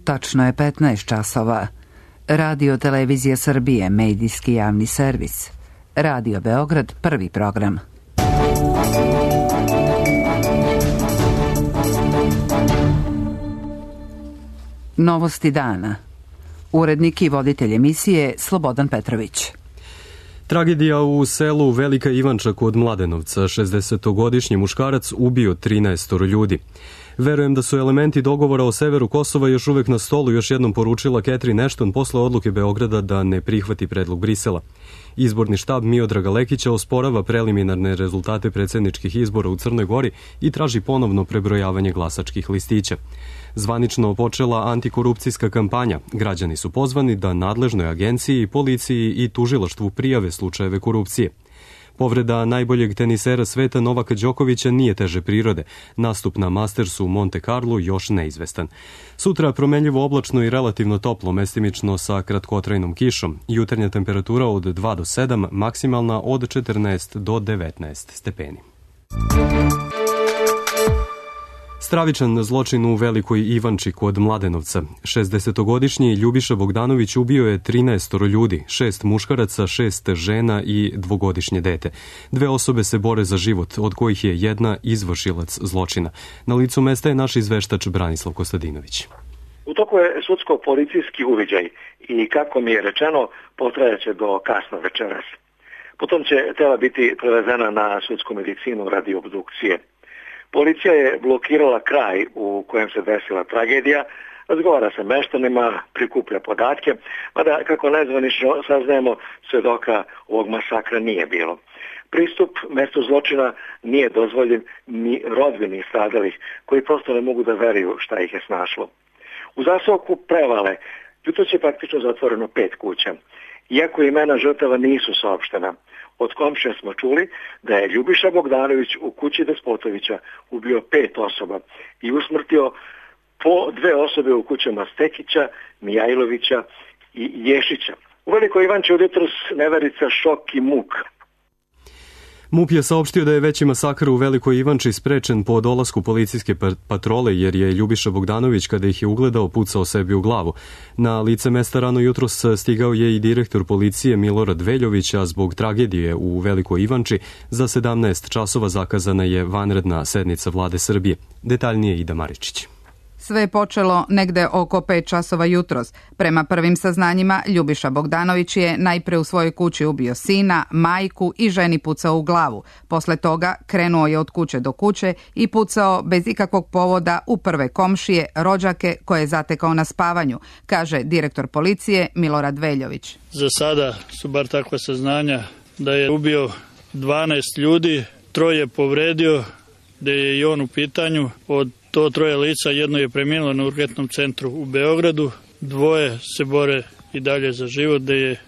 Tačno je 15 časova. Radio Televizija Srbije, medijski javni servis. Radio Beograd, prvi program. Novosti dana. Urednik i voditelj emisije Slobodan Petrović. Tragedija u selu Velika Ivanča kod Mladenovca. 60-godišnji muškarac ubio 13 ljudi. Verujem da su elementi dogovora o severu Kosova još uvek na stolu, još jednom poručila Catherine Ashton posle odluke Beograda da ne prihvati predlog Brisela. Izborni štab Miodraga Lekića osporava preliminarne rezultate predsjedničkih izbora u Crnoj Gori i traži ponovno prebrojavanje glasačkih listića. Zvanično počela antikorupcijska kampanja. Građani su pozvani da nadležnoj agenciji, policiji i tužilaštvu prijave slučajeve korupcije. Povreda najboljeg tenisera sveta Novaka Đokovića nije teže prirode. Nastup na Mastersu u Monte Carlo još neizvestan. Sutra promenljivo oblačno i relativno toplo, mestimično sa kratkotrajnom kišom. Jutarnja temperatura od 2 do 7, maksimalna od 14 do 19 stepeni. Stravičan zločin u Velikoj Ivanči kod Mladenovca. 60-godišnji Ljubiša Bogdanović ubio je 13 ljudi, 6 muškaraca, 6 žena i 2-godišnje dete. 2 osobe se bore za život, od kojih je jedna izvršilac zločina. Na licu mesta je naš izveštač Branislav Kostadinović. U toku je sudsko-policijski uviđaj i kako mi je rečeno, potrajaće do kasno večeras. Potom će tela biti prevezena na sudsku medicinu radi obdukcije. Policija je blokirala kraj u kojem se desila tragedija, razgovara sa meštanima, prikuplja podatke, mada kako nezvanično saznajemo, svedoka ovog masakra nije bilo. Pristup mestu zločina nije dozvoljen ni rodbini stradalih, koji prosto ne mogu da veruju šta ih je snašlo. U zaseoku Prevale jutro je praktično zatvoreno 5 kuća. Iako imena žrtava nisu saopštena, od komšija smo čuli da je Ljubiša Bogdanović u kući Despotovića ubio 5 osoba i usmrtio po 2 osobe u kućama Stekića, Mijajlovića i Ješića. U Velikoj Ivanči od jutros neverica, šok i muk. MUP je saopštio da je veći masakr u Velikoj Ivanči sprečen po dolasku policijske patrole, jer je Ljubiša Bogdanović, kada ih je ugledao, pucao sebi u glavu. Na lice mesta rano jutros stigao je i direktor policije Milorad Veljović, a zbog tragedije u Velikoj Ivanči za 17 časova zakazana je vanredna sednica Vlade Srbije. Detaljnije Ida Maričić. Sve je počelo negde oko 5 časova jutros. Prema prvim saznanjima, Ljubiša Bogdanović je najpre u svojoj kući ubio sina, majku i ženi pucao u glavu. Posle toga krenuo je od kuće do kuće i pucao bez ikakvog povoda u prve komšije, rođake koje je zatekao na spavanju, kaže direktor policije Milorad Veljović. Za sada su bar takva saznanja da je ubio 12 ljudi, 3 povredio, da je i on u pitanju. Od to 3 lica, jedno je preminulo na urgentnom centru u Beogradu, 2 se bore i dalje za život, da je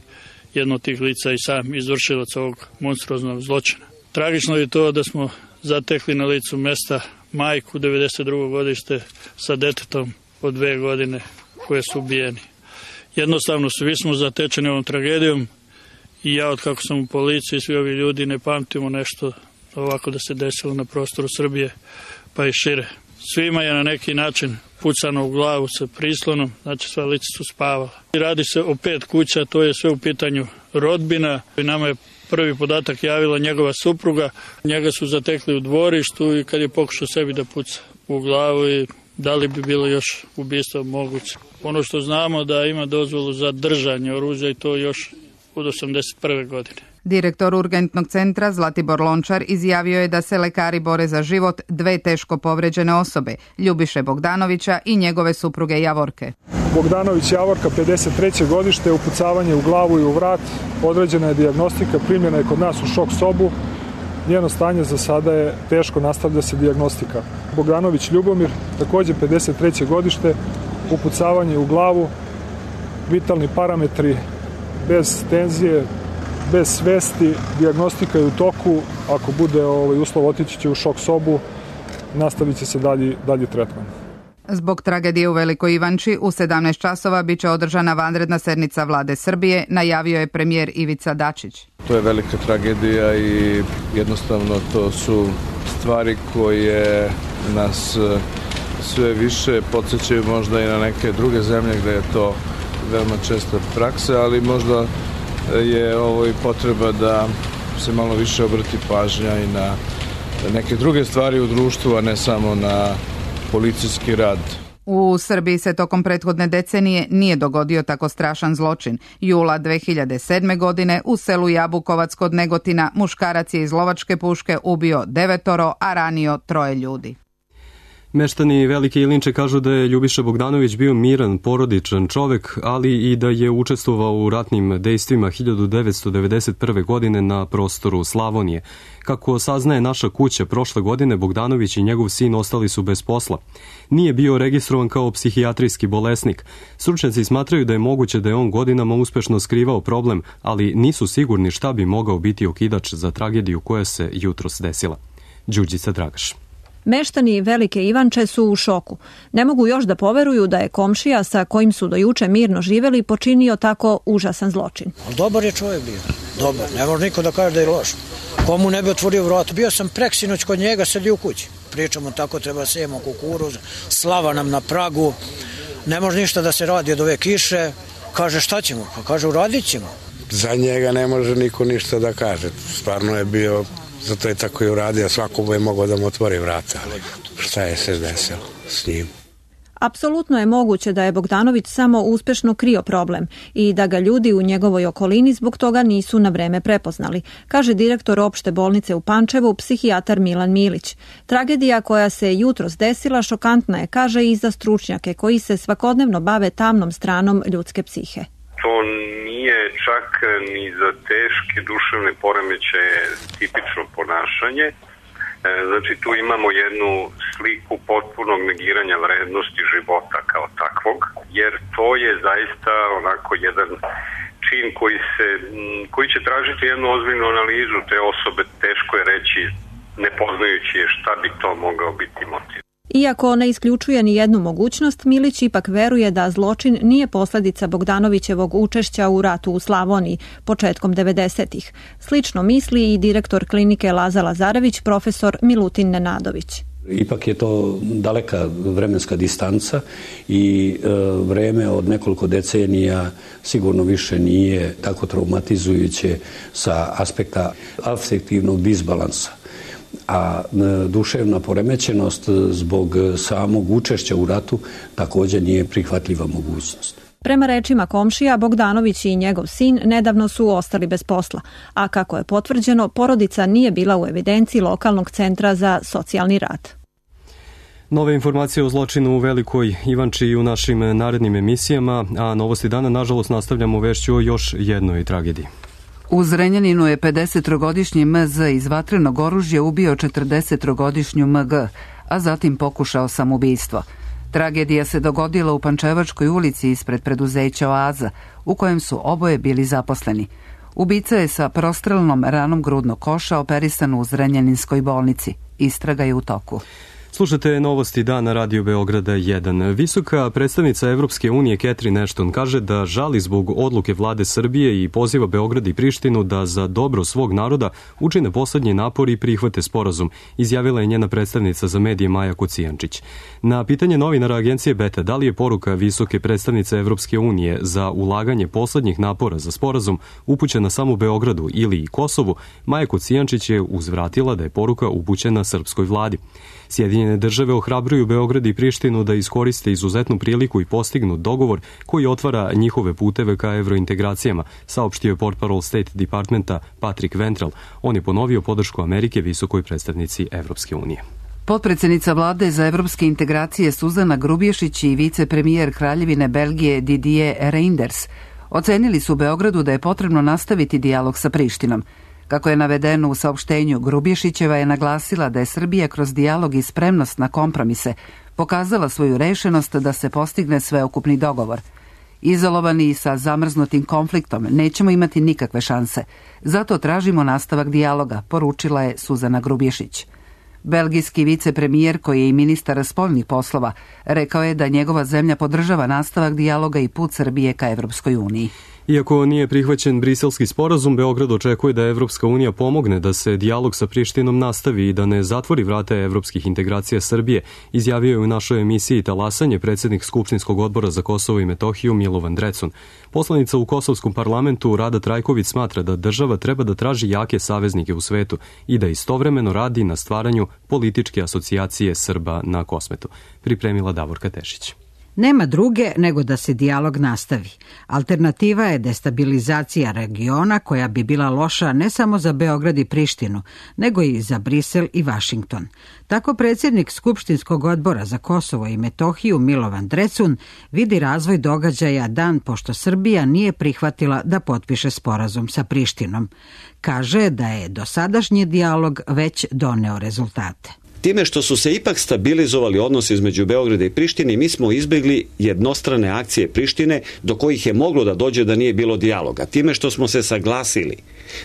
jedno od tih lica i sam izvršilac ovog monstruoznog zločina. Tragično je to da smo zatekli na licu mesta majku 92. godište sa detetom od 2 godine koje su ubijeni. Jednostavno svi smo zatečeni ovom tragedijom i ja, od kako sam u policiji, svi ovi ljudi ne pamtimo nešto ovako da se desilo na prostoru Srbije pa i šire. Svima je na neki način pucano u glavu sa prislonom, znači sva lica su spavala. Radi se o 5 kuća, to je sve u pitanju rodbina. Nama je prvi podatak javila njegova supruga. Njega su zatekli u dvorištu i kad je pokušao sebi da puca u glavu i da li bi bilo još ubistvo moguće. Ono što znamo da ima dozvolu za držanje oružja i to još od 81. godine. Direktor urgentnog centra Zlatibor Lončar izjavio je da se lekari bore za život 2 teško povređene osobe, Ljubiše Bogdanovića i njegove supruge Javorke. Bogdanović Javorka, 53. godište, upucavanje u glavu i u vrat, određena je dijagnostika, primljena je kod nas u šok sobu. Njeno stanje za sada je teško, nastavlja se dijagnostika. Bogdanović Ljubomir, također 53. godište, upucavanje u glavu, vitalni parametri bez tenzije, bez svesti, dijagnostika je u toku, ako bude uslov otići će u šok sobu, nastavit će se dalji tretman. Zbog tragedije u Velikoj Ivanči u 17 časova biće održana vanredna sednica Vlade Srbije, najavio je premijer Ivica Dačić. To je velika tragedija i jednostavno to su stvari koje nas sve više podsjećaju možda i na neke druge zemlje gde je to veoma česta praksa, ali možda je ovo i potreba da se malo više obrati pažnja i na neke druge stvari u društvu, a ne samo na policijski rad. U Srbiji se tokom prethodne decenije nije dogodio tako strašan zločin. Jula 2007. godine u selu Jabukovac kod Negotina muškarac je iz lovačke puške ubio 9, a ranio 3 ljudi. Meštani Velike Ilinče kažu da je Ljubiša Bogdanović bio miran, porodičan čovek, ali i da je učestvovao u ratnim dejstvima 1991. godine na prostoru Slavonije. Kako saznaje Naša kuća, prošle godine Bogdanović i njegov sin ostali su bez posla. Nije bio registrovan kao psihijatrijski bolesnik. Stručnjaci smatraju da je moguće da je on godinama uspešno skrivao problem, ali nisu sigurni šta bi mogao biti okidač za tragediju koja se jutros desila. Đurđica Dragaš. Meštani Velike Ivanče su u šoku. Ne mogu još da poveruju da je komšija sa kojim su do juče mirno živeli počinio tako užasan zločin. Dobar je čovjek bio. Dobar. Ne može niko da kaže da je loš. Komu ne bi otvorio vrat? Bio sam preksinoć kod njega, sedi u kući. Pričamo tako, treba sejemo kukuruz, slava nam na pragu. Ne može ništa da se radi od ove kiše. Kaže šta ćemo? Pa kaže uradit ćemo. Za njega ne može niko ništa da kaže. Stvarno je bio... Zato je tako i uradio, svako je mogao da mu otvori vrata, ali šta je se desilo s njim? Apsolutno je moguće da je Bogdanović samo uspešno krio problem i da ga ljudi u njegovoj okolini zbog toga nisu na vreme prepoznali, kaže direktor opšte bolnice u Pančevu, psihijatar Milan Milić. Tragedija koja se jutros desila šokantna je, kaže, i za stručnjake koji se svakodnevno bave tamnom stranom ljudske psihe. To nije čak ni za teške duševne poremećaje tipično ponašanje. Znači tu imamo jednu sliku potpunog negiranja vrednosti života kao takvog, jer to je zaista onako jedan čin koji će tražiti jednu ozbiljnu analizu te osobe. Teško je reći, ne poznajući je, šta bi to mogao biti motiv. Iako ne isključuje ni jednu mogućnost, Milić ipak veruje da zločin nije posledica Bogdanovićevog učešća u ratu u Slavoniji početkom 90-ih. Slično misli i direktor klinike Laza Lazarević, profesor Milutin Nenadović. Ipak je to daleka vremenska distanca i vreme od nekoliko decenija sigurno više nije tako traumatizujuće sa aspekta afektivnog disbalansa. A duševna poremećenost zbog samog učešća u ratu također nije prihvatljiva mogućnost. Prema rečima komšija, Bogdanović i njegov sin nedavno su ostali bez posla, a kako je potvrđeno, porodica nije bila u evidenciji lokalnog centra za socijalni rad. Nove informacije o zločinu u Velikoj Ivanči i u našim narednim emisijama, a Novosti dana nažalost nastavljamo vešću o još jednoj tragediji. U Zrenjaninu je 53-godišnji MZ iz vatrenog oružja ubio 43-godišnju MG, a zatim pokušao samoubistvo. Tragedija se dogodila u Pančevačkoj ulici ispred preduzeća Oaza, u kojem su oboje bili zaposleni. Ubica je sa prostrelnom ranom grudnog koša operisan u Zrenjaninskoj bolnici. Istraga je u toku. Slušate Novosti dana Radio Beograda 1. Visoka predstavnica Evropske unije Catherine Ashton kaže da žali zbog odluke vlade Srbije i poziva Beograd i Prištinu da za dobro svog naroda učine poslednji napor i prihvate sporazum, izjavila je njena predstavnica za medije Maja Kocijančić. Na pitanje novinara agencije Beta da li je poruka visoke predstavnice Evropske unije za ulaganje poslednjih napora za sporazum upućena samo Beogradu ili i Kosovu, Maja Kocijančić je uzvratila da je poruka upućena srpskoj vladi. Sjedinjene države ohrabruju Beograd i Prištinu da iskoriste izuzetnu priliku i postignu dogovor koji otvara njihove puteve ka evrointegracijama, saopštio je portparol State Departmenta Patrick Ventral. On je ponovio podršku Amerike visokoj predstavnici Evropske unije. Potpredsjednica vlade za evropske integracije Suzana Grubješić i vicepremijer Kraljevine Belgije Didier Reynders ocenili su Beogradu da je potrebno nastaviti dijalog sa Prištinom. Kako je navedeno u saopštenju, Grubješićeva je naglasila da je Srbija kroz dijalog i spremnost na kompromise pokazala svoju rešenost da se postigne sveukupni dogovor. Izolovani i sa zamrznutim konfliktom nećemo imati nikakve šanse. Zato tražimo nastavak dijaloga, poručila je Suzana Grubješić. Belgijski vicepremijer, koji je i ministar spoljnih poslova, rekao je da njegova zemlja podržava nastavak dijaloga i put Srbije ka Evropskoj uniji. Iako nije prihvaćen briselski sporazum, Beograd očekuje da Evropska unija pomogne da se dijalog sa Prištinom nastavi i da ne zatvori vrata evropskih integracija Srbije, izjavio je u našoj emisiji Talasanje predsjednik Skupštinskog odbora za Kosovo i Metohiju Milovan Drecun. Poslanica u Kosovskom parlamentu Rada Trajković smatra da država treba da traži jake saveznike u svetu i da istovremeno radi na stvaranju političke asocijacije Srba na Kosmetu. Pripremila Davorka Tešić. Nema druge nego da se dijalog nastavi. Alternativa je destabilizacija regiona koja bi bila loša ne samo za Beograd i Prištinu, nego i za Brisel i Vašington. Tako predsjednik Skupštinskog odbora za Kosovo i Metohiju Milovan Drecun vidi razvoj događaja dan pošto Srbija nije prihvatila da potpiše sporazum sa Prištinom. Kaže da je dosadašnji dijalog već doneo rezultate. Time što su se ipak stabilizovali odnosi između Beograda i Prištine, mi smo izbjegli jednostrane akcije Prištine do kojih je moglo da dođe da nije bilo dijaloga. Time što smo se saglasili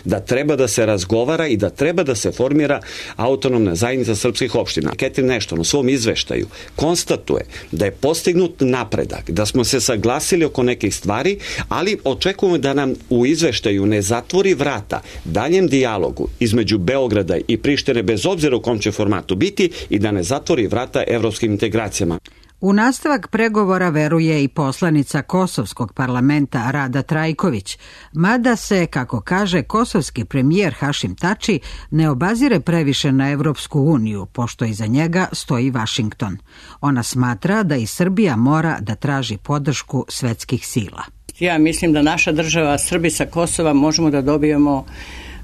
da treba da se razgovara i da treba da se formira autonomna zajednica srpskih opština. Catherine Ashton u svom izveštaju konstatuje da je postignut napredak, da smo se saglasili oko nekih stvari, ali očekujemo da nam u izveštaju ne zatvori vrata daljem dijalogu između Beograda i Prištine, bez obzira u kom će formatu biti, i da ne zatvori vrata evropskim integracijama. U nastavak pregovora veruje i poslanica Kosovskog parlamenta Rada Trajković, mada se, kako kaže kosovski premijer Hašim Tači, ne obazire previše na Evropsku uniju, pošto iza njega stoji Vašington. Ona smatra da i Srbija mora da traži podršku svetskih sila. Ja mislim da naša država, Srbi sa Kosova, možemo da dobijemo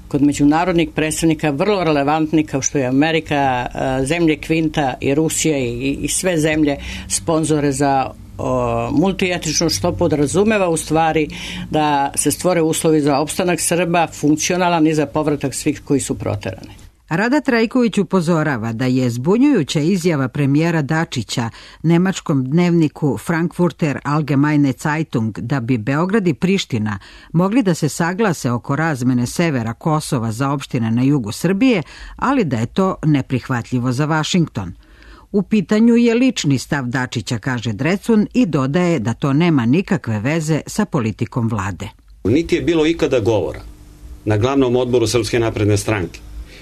kod međunarodnih predstavnika vrlo relevantni kao što je Amerika, zemlje Kvinta i Rusija i sve zemlje sponzore za multietničnu, što podrazumeva u stvari da se stvore uslovi za opstanak Srba, funkcionalan i za povratak svih koji su proterani. Rada Trajković upozorava da je zbunjujuća izjava premijera Dačića nemačkom dnevniku Frankfurter Allgemeine Zeitung da bi Beograd i Priština mogli da se saglase oko razmene severa Kosova za opštine na jugu Srbije, ali da je to neprihvatljivo za Vašington. U pitanju je lični stav Dačića, kaže Drecun, i dodaje da to nema nikakve veze sa politikom vlade. Niti je bilo ikada govora na glavnom odboru Srpske napredne stranke,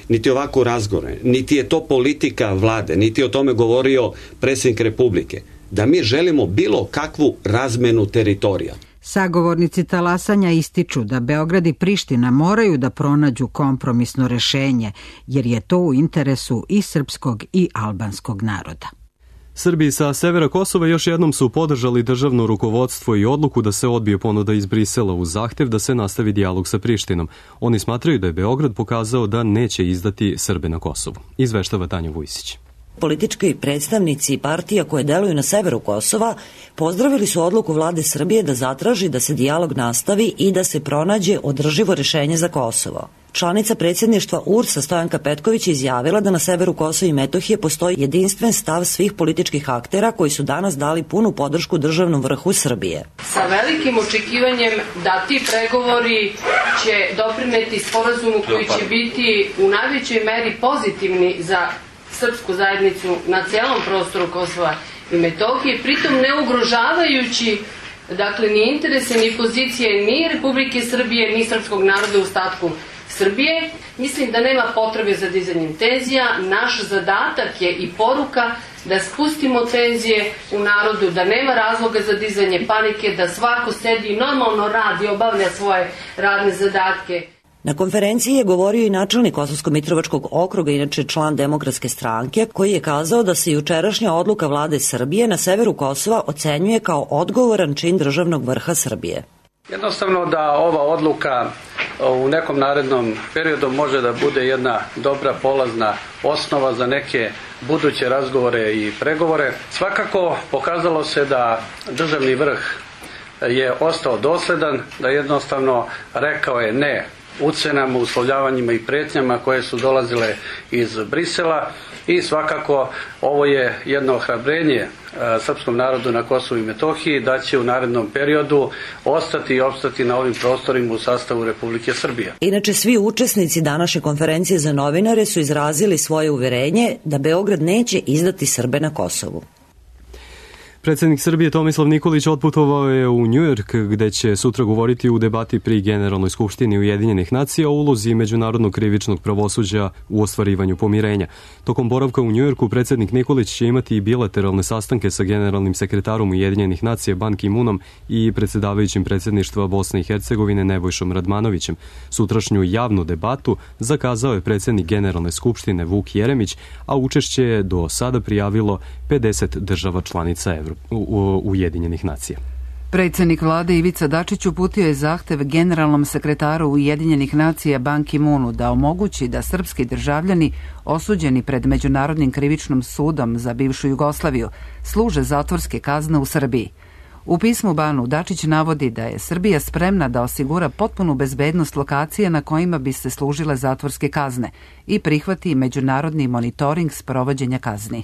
niti ovako razgovore, niti je to politika vlade, niti je o tome govorio predsjednik Republike, da mi želimo bilo kakvu razmenu teritorija. Sagovornici talasanja ističu da Beograd i Priština moraju da pronađu kompromisno rešenje, jer je to u interesu i srpskog i albanskog naroda. Srbi sa severa Kosova još jednom su podržali državno rukovodstvo i odluku da se odbije ponuda iz Brisela uz zahtev da se nastavi dijalog sa Prištinom. Oni smatraju da je Beograd pokazao da neće izdati Srbe na Kosovu. Izveštava Tanja Vujsić. Politički predstavnici partija koje deluju na severu Kosova pozdravili su odluku vlade Srbije da zatraži da se dijalog nastavi i da se pronađe održivo rešenje za Kosovo. Članica predsjedništva URS-a Stojanka Petković izjavila da na severu Kosova i Metohije postoji jedinstven stav svih političkih aktera koji su danas dali punu podršku državnom vrhu Srbije. Sa velikim očekivanjem da ti pregovori će doprineti sporazumu koji će biti u najvećoj meri pozitivni za srpsku zajednicu na cijelom prostoru Kosova i Metohije, pritom ne ugrožavajući ni interese, ni pozicije, ni Republike Srbije, ni srpskog naroda u ostatku Srbije. Mislim da nema potrebe za dizanjem tenzija. Naš zadatak je i poruka da spustimo tenzije u narodu, da nema razloga za dizanje panike, da svako sedi i normalno radi, obavlja svoje radne zadatke. Na konferenciji je govorio i načelnik Kosovsko-Mitrovačkog okruga, inače član Demokratske stranke, koji je kazao da se jučerašnja odluka vlade Srbije na severu Kosova ocenjuje kao odgovoran čin državnog vrha Srbije. Jednostavno da ova odluka u nekom narednom periodu može da bude jedna dobra polazna osnova za neke buduće razgovore i pregovore. Svakako pokazalo se da državni vrh je ostao dosledan, da jednostavno rekao je ne ucenama, uslovljavanjima i pretnjama koje su dolazile iz Brisela i svakako ovo je jedno ohrabrenje srpskom narodu na Kosovu i Metohiji da će u narednom periodu ostati i opstati na ovim prostorima u sastavu Republike Srbije. Inače, svi učesnici današnje konferencije za novinare su izrazili svoje uverenje da Beograd neće izdati Srbe na Kosovu. Predsjednik Srbije Tomislav Nikolić otputovao je u Njujork, gde će sutra govoriti u debati pri Generalnoj skupštini Ujedinjenih nacija o ulozi međunarodnog krivičnog pravosuđa u ostvarivanju pomirenja. Tokom boravka u Njujorku predsjednik Nikolić će imati i bilateralne sastanke sa generalnim sekretarom Ujedinjenih nacija Ban Ki-moonom i predsjedavajućim predsjedništva Bosne i Hercegovine Nebojšom Radmanovićem. Sutrašnju javnu debatu zakazao je predsjednik Generalne skupštine Vuk Jeremić, a učešće je do sada prijavilo 50 država članica Ujedinjenih nacija. Predsjednik vlade Ivica Dačić uputio je zahtev generalnom sekretaru Ujedinjenih nacija Ban Ki-moonu da omogući da srpski državljani osuđeni pred Međunarodnim krivičnim sudom za bivšu Jugoslaviju služe zatvorske kazne u Srbiji. U pismu Banu Dačić navodi da je Srbija spremna da osigura potpunu bezbednost lokacije na kojima bi se služile zatvorske kazne i prihvati međunarodni monitoring sprovođenja kazni.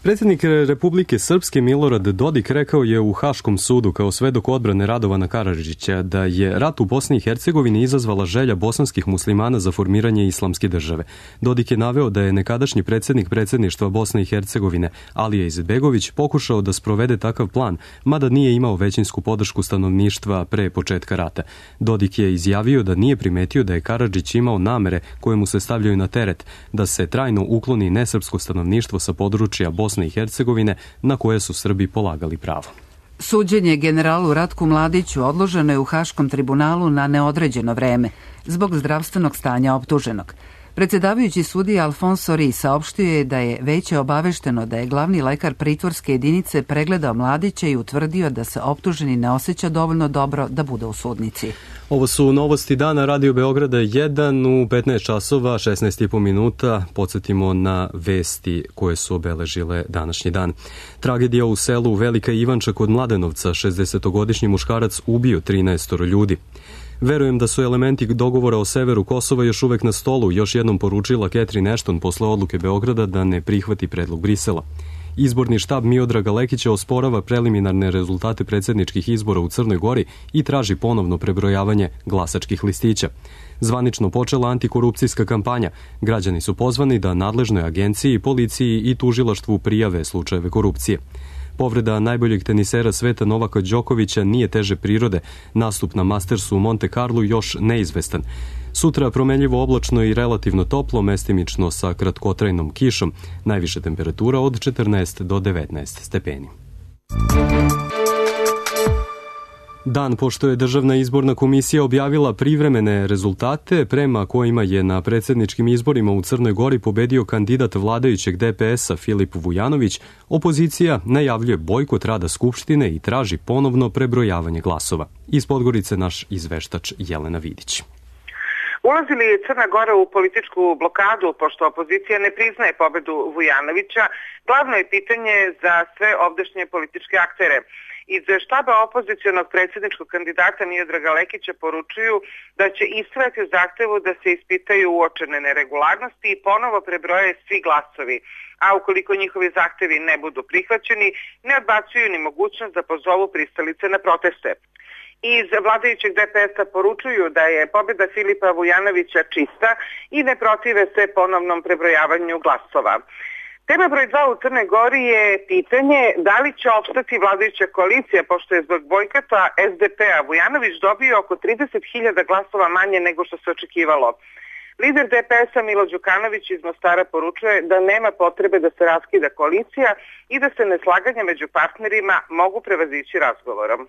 Predsjednik Republike Srpske Milorad Dodik rekao je u Haškom sudu kao svedok odbrane Radovana Karadžića da je rat u Bosni i Hercegovini izazvala želja bosanskih muslimana za formiranje islamske države. Dodik je naveo da je nekadašnji predsjednik predsjedništva Bosne i Hercegovine Alija Izetbegović pokušao da sprovede takav plan, mada nije imao većinsku podršku stanovništva pre početka rata. Dodik je izjavio da nije primetio da je Karadžić imao namere koje mu se stavljaju na teret, da se trajno ukloni nesrpsko stanovništvo sa područja Bosne i Hercegovine na koje su Srbi polagali pravo. Suđenje generalu Ratku Mladiću odloženo je u Haškom tribunalu na neodređeno vreme zbog zdravstvenog stanja optuženog. Predsjedavajući sudija Alfonso Ri saopštio je da je veće obavešteno da je glavni lekar pritvorske jedinice pregledao Mladića i utvrdio da se optuženi ne osjeća dovoljno dobro da bude u sudnici. Ovo su novosti dana Radio Beograda 1 u 15 časova 16,5 minuta. Podsjetimo na vesti koje su obeležile današnji dan. Tragedija u selu Velika Ivanča kod Mladenovca, 60-godišnji muškarac ubio 13 ljudi. Verujem da su elementi dogovora o severu Kosova još uvek na stolu, još jednom poručila Catherine Ashton posle odluke Beograda da ne prihvati predlog Brisela. Izborni štab Miodraga Lekića osporava preliminarne rezultate predsjedničkih izbora u Crnoj Gori i traži ponovno prebrojavanje glasačkih listića. Zvanično počela antikorupcijska kampanja. Građani su pozvani da nadležnoj agenciji, policiji i tužilaštvu prijave slučajeve korupcije. Povreda najboljeg tenisera sveta Novaka Đokovića nije teže prirode. Nastup na Mastersu u Monte Carlu još neizvestan. Sutra promenljivo oblačno i relativno toplo, mestimično sa kratkotrajnom kišom. Najviša temperatura od 14 do 19 stepeni. Dan pošto je Državna izborna komisija objavila privremene rezultate prema kojima je na predsjedničkim izborima u Crnoj Gori pobedio kandidat vladajućeg DPS-a Filip Vujanović, opozicija najavljuje bojkot rada Skupštine i traži ponovno prebrojavanje glasova. Iz Podgorice naš izveštač Jelena Vidić. Ulazi li Crna Gora u političku blokadu pošto opozicija ne priznaje pobedu Vujanovića, glavno je pitanje za sve ovdašnje političke aktere. Iz štaba opozicionog predsjedničkog kandidata Miodraga Lekića poručuju da će istrajati u zahtevu da se ispitaju uočene neregularnosti i ponovo prebroje svi glasovi, a ukoliko njihovi zahtevi ne budu prihvaćeni, ne odbacuju ni mogućnost da pozovu pristalice na proteste. Iz vladajućeg DPS-a poručuju da je pobjeda Filipa Vujanovića čista i ne protive se ponovnom prebrojavanju glasova. Tema broj 2 u Crnoj Gori je pitanje da li će opstati vladajuća koalicija, pošto je zbog bojkota SDP-a Vujanović dobio oko 30.000 glasova manje nego što se očekivalo. Lider DPS-a Milo Đukanović iz Mostara poručuje da nema potrebe da se raskida koalicija i da se neslaganja među partnerima mogu prevazići razgovorom.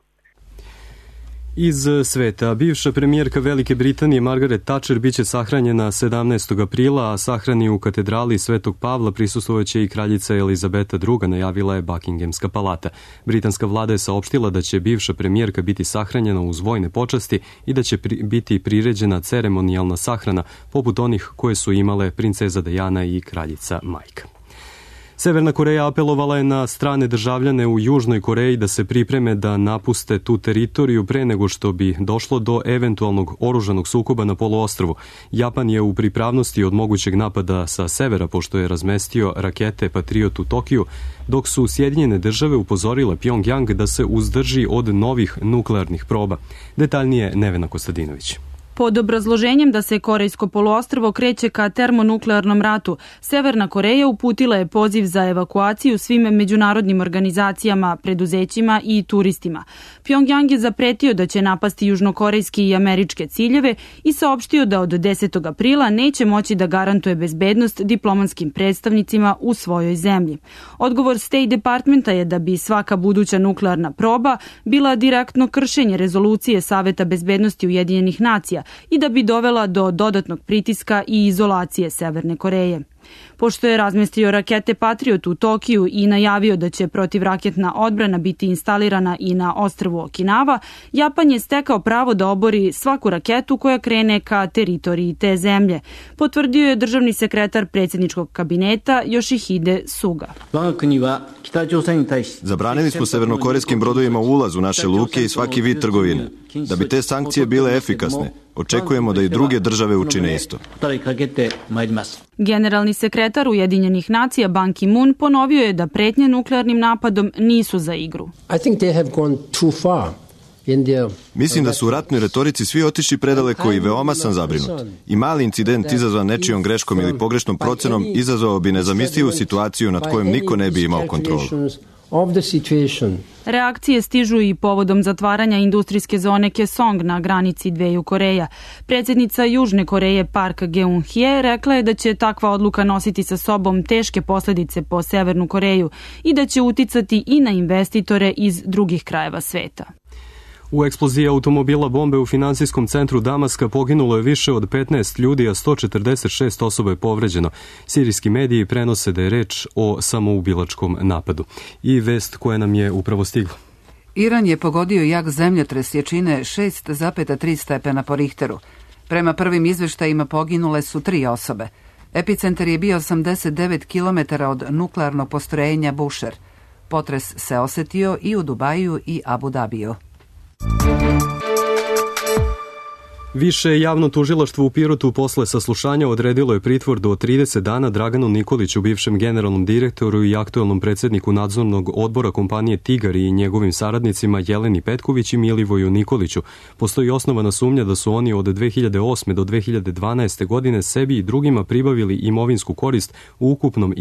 Iz sveta, bivša premijerka Velike Britanije Margaret Thatcher biće sahranjena 17. aprila, a sahrani u katedrali Svetog Pavla prisustvovaće i kraljica Elizabeta II, najavila je Buckinghamska palata. Britanska vlada je saopštila da će bivša premijerka biti sahranjena uz vojne počasti i da će biti priređena ceremonijalna sahrana, poput onih koje su imale princeza Diana i kraljica majka. Severna Koreja apelovala je na strane državljane u Južnoj Koreji da se pripreme da napuste tu teritoriju pre nego što bi došlo do eventualnog oružanog sukoba na poluostrvu. Japan je u pripravnosti od mogućeg napada sa severa pošto je razmestio rakete Patriot u Tokiju, dok su Sjedinjene države upozorile Pjongjang da se uzdrži od novih nuklearnih proba. Detaljnije Nevena Kostadinović. Pod obrazloženjem da se Korejsko poluostrvo kreće ka termonuklearnom ratu, Severna Koreja uputila je poziv za evakuaciju svim međunarodnim organizacijama, preduzećima i turistima. Pjongjang je zapretio da će napasti južnokorejski i američke ciljeve i saopštio da od 10. aprila neće moći da garantuje bezbednost diplomatskim predstavnicima u svojoj zemlji. Odgovor State Departmenta je da bi svaka buduća nuklearna proba bila direktno kršenje rezolucije Saveta bezbednosti Ujedinjenih nacija i da bi dovela do dodatnog pritiska i izolacije Severne Koreje. Pošto je razmestio rakete Patriot u Tokiju i najavio da će protivraketna odbrana biti instalirana i na ostrvu Okinawa, Japan je stekao pravo da obori svaku raketu koja krene ka teritoriji te zemlje, potvrdio je državni sekretar predsjedničkog kabineta Yoshihide Suga. Zabranili smo severnokorejskim brodovima ulaz u naše luke i svaki vid trgovine. Da bi te sankcije bile efikasne, očekujemo da i druge države učine isto. Generalni sekretar Ujedinjenih nacija Ban Ki-moon ponovio je da pretnje nuklearnim napadom nisu za igru. Mislim da su u ratnoj retorici svi otišli predaleko i veoma sam zabrinut. I mali incident izazvan nečijom greškom ili pogrešnom procenom izazvao bi nezamislivu situaciju nad kojom niko ne bi imao kontrolu. Reakcije stižu i povodom zatvaranja industrijske zone Kaesong na granici dveju Koreja. Predsjednica Južne Koreje Park Geun-hye rekla je da će takva odluka nositi sa sobom teške posljedice po Severnu Koreju i da će uticati i na investitore iz drugih krajeva sveta. U eksploziji automobila bombe u finansijskom centru Damaska poginulo je više od 15 ljudi, a 146 osoba je povređeno. Sirijski mediji prenose da je reč o samoubilačkom napadu. I vest koja nam je upravo stigla. Iran je pogodio jak zemljotres jačine 6,3 stepena po Richteru. Prema prvim izveštajima poginule su 3 osobe. Epicentar je bio 89 km od nuklearnog postrojenja Bushehr. Potres se osetio i u Dubaju i Abu Dabiju. Više javno tužilaštvo u Pirotu posle saslušanja odredilo je pritvor do 30 dana Draganu Nikoliću, bivšem generalnom direktoru i aktuelnom predsjedniku nadzornog odbora kompanije Tigar i njegovim saradnicima Jeleni Petković i Milivoju Nikoliću. Postoji osnovana sumnja da su oni od 2008. do 2012. godine sebi i drugima pribavili imovinsku korist u ukupnom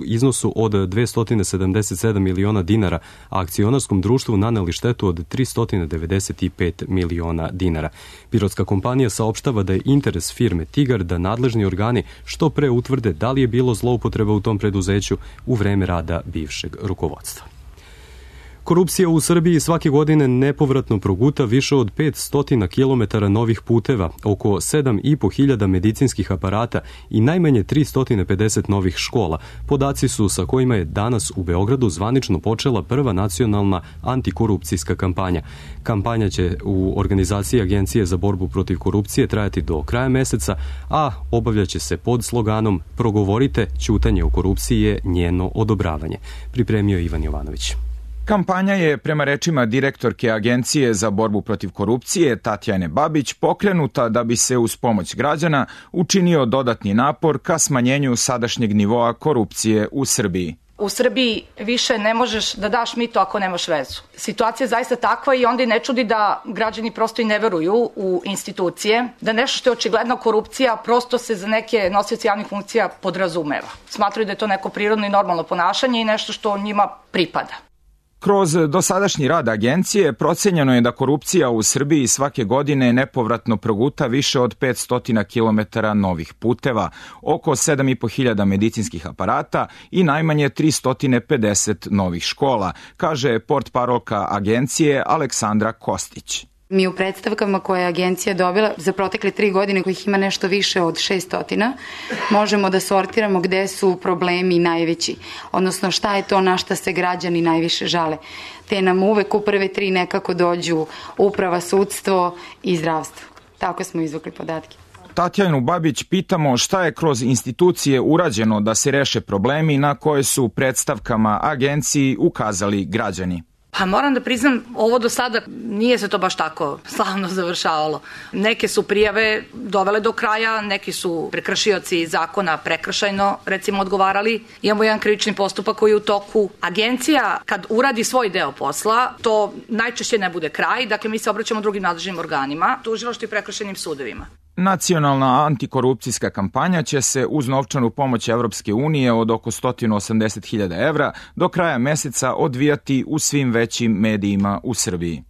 iznosu od 277 miliona dinara, a akcionarskom društvu naneli štetu od 395 miliona dinara. Pirotska kompanija saopštava da je interes firme Tigar da nadležni organi što pre utvrde da li je bilo zloupotreba u tom preduzeću u vreme rada bivšeg rukovodstva. Korupcija u Srbiji svake godine nepovratno proguta više od 500 km novih puteva, oko 7.500 medicinskih aparata i najmanje 350 novih škola. Podaci su sa kojima je danas u Beogradu zvanično počela prva nacionalna antikorupcijska kampanja. Kampanja će u organizaciji Agencije za borbu protiv korupcije trajati do kraja meseca, a obavljaće se pod sloganom "Progovorite, ćutanje o korupciji je njeno odobravanje", pripremio Ivan Jovanović. Kampanja je, prema rečima direktorke Agencije za borbu protiv korupcije Tatjane Babić, pokrenuta da bi se uz pomoć građana učinio dodatni napor ka smanjenju sadašnjeg nivoa korupcije u Srbiji. U Srbiji više ne možeš da daš mito ako nemaš vezu. Situacija je zaista takva i onda i ne čudi da građani prosto i ne veruju u institucije, da nešto što je očigledna korupcija prosto se za neke nosioce javnih funkcija podrazumeva. Smatraju da je to neko prirodno i normalno ponašanje i nešto što njima pripada. Kroz dosadašnji rad agencije procenjeno je da korupcija u Srbiji svake godine nepovratno proguta više od 500 km novih puteva, oko 7.500 medicinskih aparata i najmanje 350 novih škola, kaže portparolka agencije Aleksandra Kostić. Mi u predstavkama koje je agencija dobila za protekle 3 godine, kojih ima nešto više od 600, možemo da sortiramo gde su problemi najveći, odnosno šta je to na šta se građani najviše žale. Te nam uvek u prve 3 nekako dođu uprava, sudstvo i zdravstvo. Tako smo izvukli podatke. Tatjanu Babić pitamo šta je kroz institucije urađeno da se reše problemi na koje su predstavkama agenciji ukazali građani. Pa moram da priznam, ovo do sada nije se to baš tako slavno završavalo. Neke su prijave dovele do kraja, neki su prekršioci zakona prekršajno, recimo, odgovarali. Imamo jedan krivični postupak koji je u toku. Agencija, kad uradi svoj deo posla, to najčešće ne bude kraj, dakle mi se obraćamo drugim nadležnim organima, tužilaštvu i prekršajnim sudovima. Nacionalna antikorupcijska kampanja će se uz novčanu pomoć Evropske unije od oko 180.000 evra do kraja meseca odvijati u svim većim medijima u Srbiji.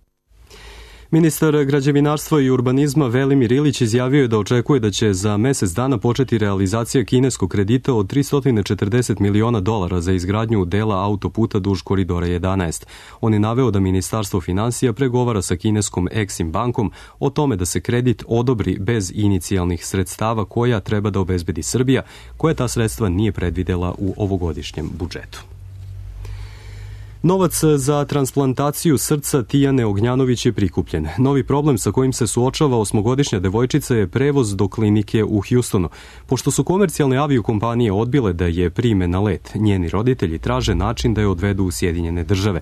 Ministar građevinarstva i urbanizma Velimir Ilić izjavio je da očekuje da će za mesec dana početi realizacija kineskog kredita od $340 miliona za izgradnju dela autoputa duž koridora 11. On je naveo da Ministarstvo finansija pregovara sa kineskom Exim bankom o tome da se kredit odobri bez inicijalnih sredstava koja treba da obezbedi Srbija, koja ta sredstva nije predvidela u ovogodišnjem budžetu. Novac za transplantaciju srca Tijane Ognjanović je prikupljen. Novi problem sa kojim se suočava 8-godišnja devojčica je prevoz do klinike u Houstonu. Pošto su komercijalne aviokompanije odbile da je prime na let, njeni roditelji traže način da je odvedu u Sjedinjene Države.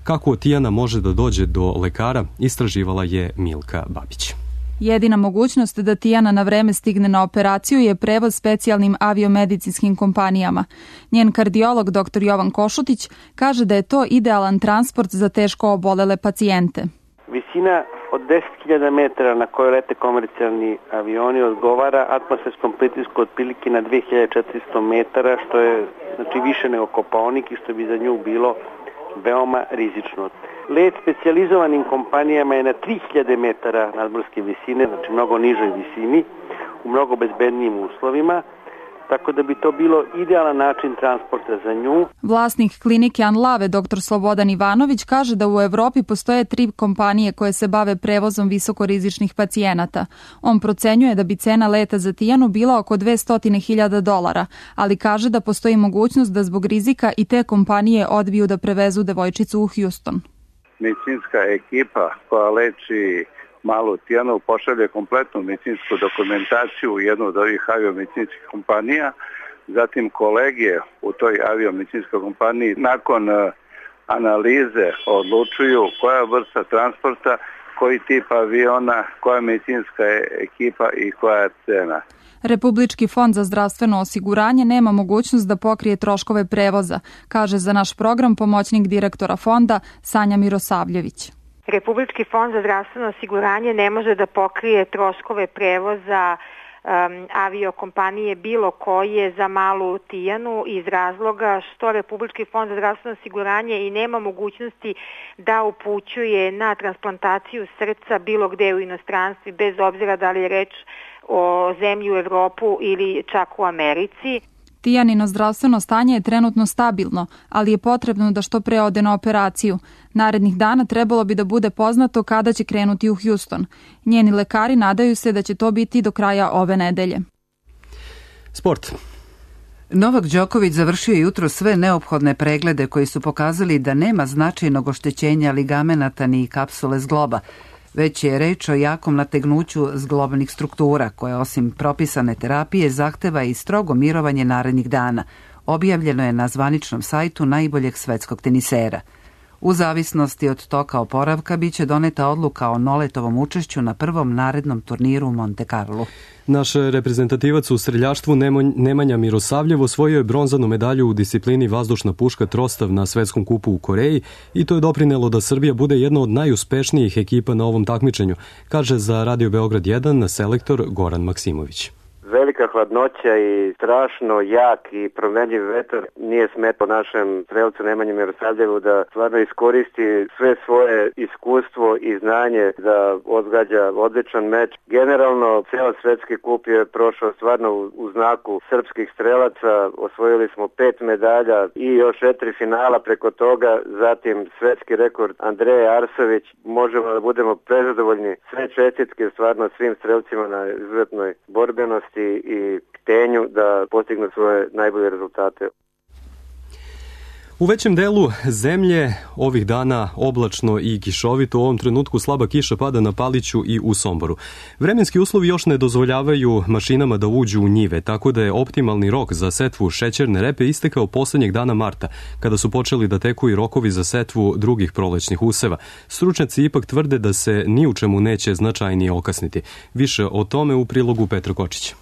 Kako Tijana može da dođe do lekara, istraživala je Milka Babić. Jedina mogućnost da Tijana na vreme stigne na operaciju je prevoz specijalnim aviomedicinskim kompanijama. Njen kardiolog dr. Jovan Košutić kaže da je to idealan transport za teško obolele pacijente. Visina od 10.000 metara na kojoj lete komercijalni avioni odgovara atmosferskom pritisku otprilike na 2400 metara, što je više nego Kopaonik i što bi za nju bilo veoma rizično. Let specijalizovanim kompanijama je na 3000 metara nadmorske visine, znači mnogo nižoj visini, u mnogo bezbednijim uslovima, tako da bi to bilo idealan način transporta za nju. Vlasnik klinike Anlave, dr. Slobodan Ivanović, kaže da u Evropi postoje 3 kompanije koje se bave prevozom visokorizičnih pacijenata. On procenjuje da bi cena leta za Tijanu bila oko $200.000, ali kaže da postoji mogućnost da zbog rizika i te kompanije odbiju da prevezu devojčicu u Houston. Medicinska ekipa koja leči malu Tijanu pošalje kompletnu medicinsku dokumentaciju u jednu od ovih aviomedicinskih kompanija. Zatim kolege u toj aviomedicinskoj kompaniji nakon analize odlučuju koja vrsta transporta, koji tip aviona, koja medicinska ekipa i koja je cena. Republički fond za zdravstveno osiguranje nema mogućnost da pokrije troškove prevoza, kaže za naš program pomoćnik direktora fonda Sanja Mirosavljević. Republički fond za zdravstveno osiguranje ne može da pokrije troškove prevoza aviokompanije bilo koje za malu Tijanu iz razloga što Republički fond za zdravstveno osiguranje i nema mogućnosti da upućuje na transplantaciju srca bilo gde u inostranstvu, bez obzira da li je reč o zemlji u Evropu ili čak u Americi. Tijanino zdravstveno stanje je trenutno stabilno, ali je potrebno da što pre ode na operaciju. Narednih dana trebalo bi da bude poznato kada će krenuti u Houston. Njeni lekari nadaju se da će to biti do kraja ove nedelje. Sport. Novak Đoković završio jutro sve neophodne preglede koji su pokazali da nema značajnog oštećenja ligamenata ni kapsule zgloba. Već je reč o jakom nategnuću zglobnih struktura, koje osim propisane terapije zahteva i strogo mirovanje narednih dana. Objavljeno je na zvaničnom sajtu najboljeg svetskog tenisera. U zavisnosti od toka oporavka biće doneta odluka o Noletovom učešću na prvom narednom turniru u Monte Carlo. Naš reprezentativac u streljaštvu Nemanja Mirosavljev osvojio je bronzanu medalju u disciplini vazdušna puška trostav na svetskom kupu u Koreji i to je doprinelo da Srbija bude jedna od najuspešnijih ekipa na ovom takmičenju, kaže za Radio Beograd 1 selektor Goran Maksimović. Velika hladnoća i strašno jak i promenljiv vetar nije smetao našem strelcu Nemanji Mirosavljevu da stvarno iskoristi sve svoje iskustvo i znanje da odgađa odličan meč. Generalno, ceo svetski kup je prošao stvarno u znaku srpskih strelaca. Osvojili smo 5 medalja i još 4 finala preko toga. Zatim svetski rekord Andreje Arsović. Možemo da budemo prezadovoljni. Sve čestitke stvarno svim strelcima na izuzetnoj borbenosti i htenju da postignu svoje najbolje rezultate. U većem delu zemlje ovih dana oblačno i kišovito, u ovom trenutku slaba kiša pada na Paliću i u Somboru. Vremenski uslovi još ne dozvoljavaju mašinama da uđu u njive, tako da je optimalni rok za setvu šećerne repe istekao poslednjeg dana marta, kada su počeli da teku i rokovi za setvu drugih prolećnih useva. Stručnjaci ipak tvrde da se ni u čemu neće značajnije okasniti. Više o tome u prilogu Petra Kočića.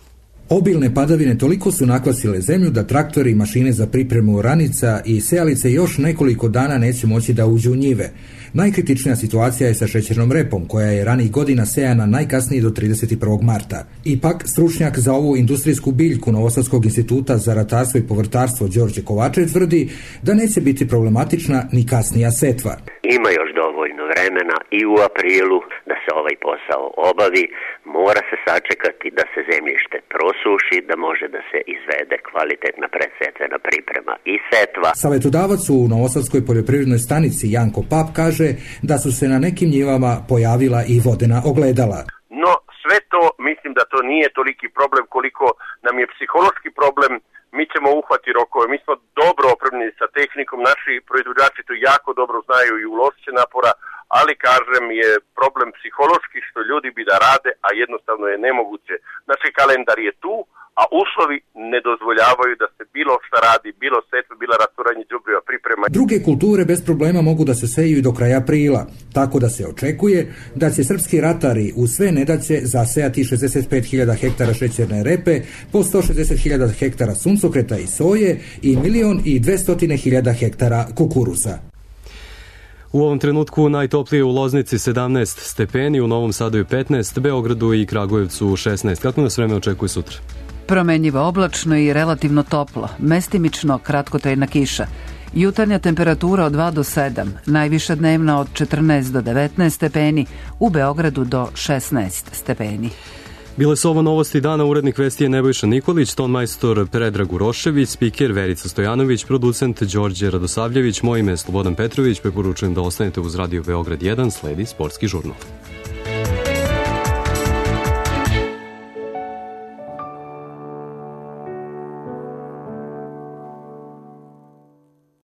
Obilne padavine toliko su nakvasile zemlju da traktori i mašine za pripremu oranica i sejalice još nekoliko dana neće moći da uđu u njive. Najkritičnija situacija je sa šećernom repom, koja je ranih godina sejana najkasnije do 31. marta. Ipak, stručnjak za ovu industrijsku biljku Novosadskog instituta za ratarstvo i povrtarstvo Đorđe Kovačev tvrdi da neće biti problematična ni kasnija setva. Ima još dovoljno vremena i u aprilu da se ovaj posao obavi, mora se sačekati da se zemljište prosuši, da može da se izvede kvalitetna predsetvena priprema i setva. Savetodavac u Novosadskoj poljoprivrednoj stanici Janko Pap kaže da su se na nekim njivama pojavila i vodena ogledala. No sve to, mislim da to nije toliki problem koliko nam je psihološki problem. Mi ćemo uhvati rokove, mi smo dobro opremljeni sa tehnikom, naši proizvođači to jako dobro znaju i uložit će napora, ali kažem je problem psihološki što ljudi bi da rade, a jednostavno je nemoguće. Znači kalendar je tu, a uslovi ne dozvoljavaju da se bilo šta radi, bilo setve, bilo rasturanje đubriva, priprema. Druge kulture bez problema mogu da se seju i do kraja aprila, tako da se očekuje da će srpski ratari u sve nedaće zasejati 65.000 hektara šećerne repe, po 160.000 hektara suncokreta i soje i 1.200.000 hektara kukuruza. U ovom trenutku najtoplije u Loznici 17 stepeni, u Novom Sadu je 15, Beogradu i Kragujevcu 16. Kako nas vreme očekuje sutra? Promenjivo oblačno i relativno toplo, mestimično kratkotrajna kiša. Jutarnja temperatura od 2 do 7, najviša dnevna od 14 do 19 stepeni, u Beogradu do 16 stepeni. Bile su ovo novosti dana, urednik vesti je Nebojša Nikolić, tonmajstor Predrag Urošević, spiker Verica Stojanović, producent Đorđe Radosavljević, moje ime je Slobodan Petrović, preporučujem da ostanete uz Radio Beograd 1, sledi sportski žurnal.